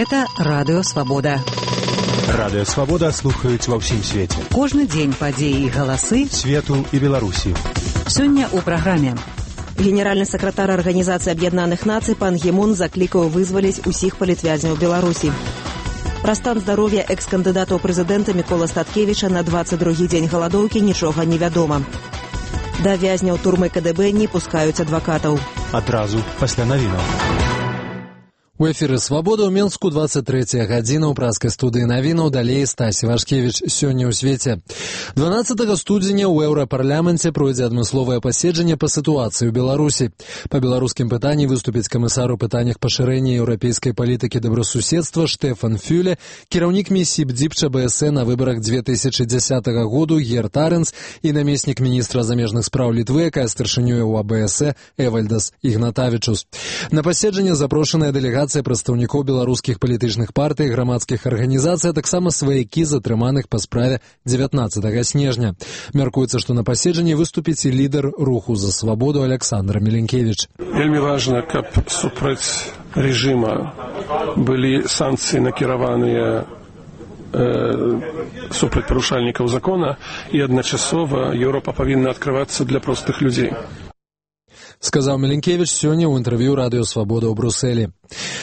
Гэта Радыё Свабода. Радыё Свабода слухаюць ва ўсім свеце. Кожны дзень падзеі і галасы свету і Беларусі. Сёння ў праграме. Генеральны сакратар Арганізацыі Аб'яднаных Нацый пан Гі Мун заклікаў вызваліць усіх палітвязняў Беларусі. Пра стан здароўя экс-кандыдата ў прэзідэнта Мікола Статкевіча на 22-й дзень галадоўкі нічога не вядома. Да вязняў турмы КДБ не пускаюць адвакатаў. Адразу пасля навінаў. У эфіры «Свабода» ў Мінску 23 гадзіна ў праскай студыі навінаў, далей Стасі Вашкевіч. Сёння ў свеце. 12 студзеня ў Еўрапарламенце пройдзе адмысловае паседжанне па сітуацыі ў Беларусі. Па беларускім пытанні выступіць камісар у пытаннях пашырэння еўрапейскай палітыкі добрасуседства Штефан Фюле, кіраўнік місіі БДІП ЧБС на выбарах 2010 году Герт Аренс і намеснік міністра замежных спраў Літвы, якая старшынёй у АБС Эвальдас Ігнатавічус. На паседжанне запрошаная дэлегацыя прадстаўнікоў беларускіх палітычных партый, грамадскіх арганізацый, а таксама сваякі затрыманых па справе 19 снежня. Мяркуецца, што на паседжанні выступіць і лідар руху за свабоду Александр Міленкевіч. Вельмі важна, каб супраць рэжыма былі санкцыі накіраваныя супраць парушальнікаў закона, і адначасова Еўропа павінна адкрывацца для простых людзей. Сказаў Міленкевіч сёння ў інтэрв'ю Радыё Свабода ў Брусэлі.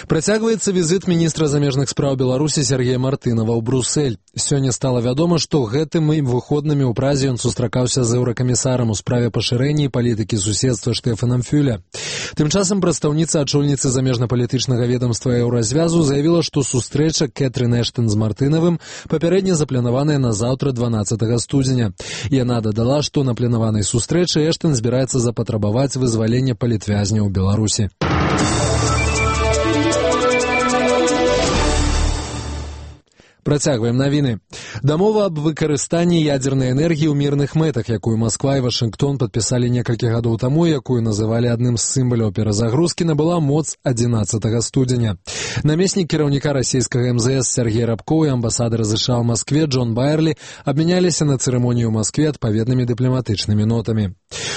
Працягваецца візіт міністра замежных спраў Беларусі Сергея Мартынова ў Брусэль. Сёння стала вядома, што гэтым выходнымі ў Празе ён сустракаўся з еўракамісарам у справе пашырэння і палітыкі суседства Штефанам Фюле. Тым часам прадстаўніца ачольніцы замежна-палітычнага ведамства Еўразвязу заявіла, што сустрэча Кэтрын Эштон з Мартынавым папярэдне запланаваная на заўтра 12 студзеня. Яна дадала, што на планаванай сустрэчы Эштон збіраецца запатрабаваць вызвалення палітвязняў у Беларусі. Працягваем навіны. Дамова аб выкарыстанні ядзернай энергіі ў мірных мэтах, якую Масква і Вашынгтон падпісалі некалькі гадоў таму, якую называлі адным з сімваляў перазагрузкі, набыла моц 11 студзеня. Намеснік кіраўніка расійскага МЗС Сергей Рабкоў і амбасадар США ў Маскве Джон Байерлі абмяняліся на цырымоніі ў Маскве адпаведнымі дыпламатычнымі нотамі.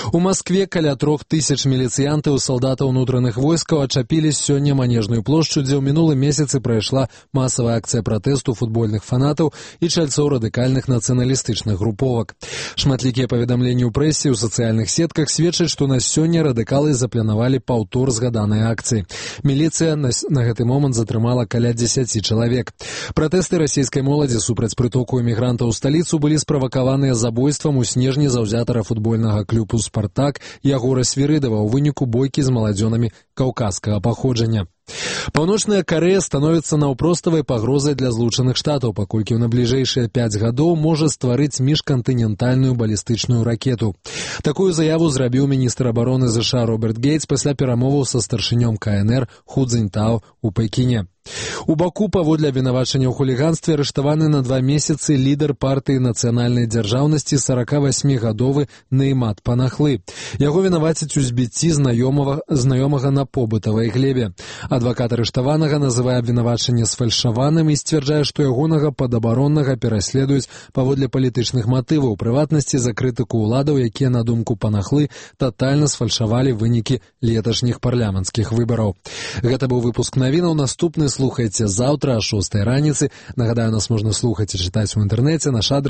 У Маскве каля 3000 міліцыянтаў і салдатаў унутраных войскаў ачапілі сёння Манежную плошчу, дзе ў мінулым месяцы прайшла масавая акцыя пратэсту футбольных фанатаў і чальцоў радыкальных нацыяналістычных груповак. Шматлікія паведамленні ў прэсе і ў сацыяльных сетках сведчаць, што на сёння радыкалы запланавалі паўтор згаданай акцыі. Міліцыя на гэты момант затрымала каля 10 чалавек. Пратэсты расійскай моладзі супраць прытоку эмігрантаў у сталіцу былі справакаваныя забойствам у снежні заўзятара футбольнага клубу «Спартак» Ягора Свірыдава ў выніку бойкі з маладзёнамі каўказскага паходжання. Паўночная Карэя становіцца наўпроставай пагрозай для Злучаных Штатаў, паколькі ў набліжэйшыя 5 гадоў можа стварыць міжкантынентальную балістычную ракету. Такую заяву зрабіў міністр абароны США Роберт Гейтс пасля перамоваў са старшынём КНР Ху Цзіньтао у Пекіне. У Баку паводле абвінавачання ў хуліганстве арыштаваны на 2 месяцы лідар партыі нацыянальнай дзяржаўнасці 48-гадовы Неймат Панахлы. Яго вінавацяць у збіцці знаёмага на побытавай глебе. Адвакат арыштаванага называе абвінавачанне сфальшаваным і сцвярджае, што ягонага падабароннага пераследуюць паводле палітычных матываў, у прыватнасці за крытыку ўладаў, якія, на думку Панахлы, татальна сфальшавалі вынікі леташніх парламенцкіх выбараў. Гэта быў выпуск навінаў. Наступны слухайце заўтра о 6 раніцы. Нагадаю, нас можна слухаць і чытаць у інтэрнэце. Наш адрес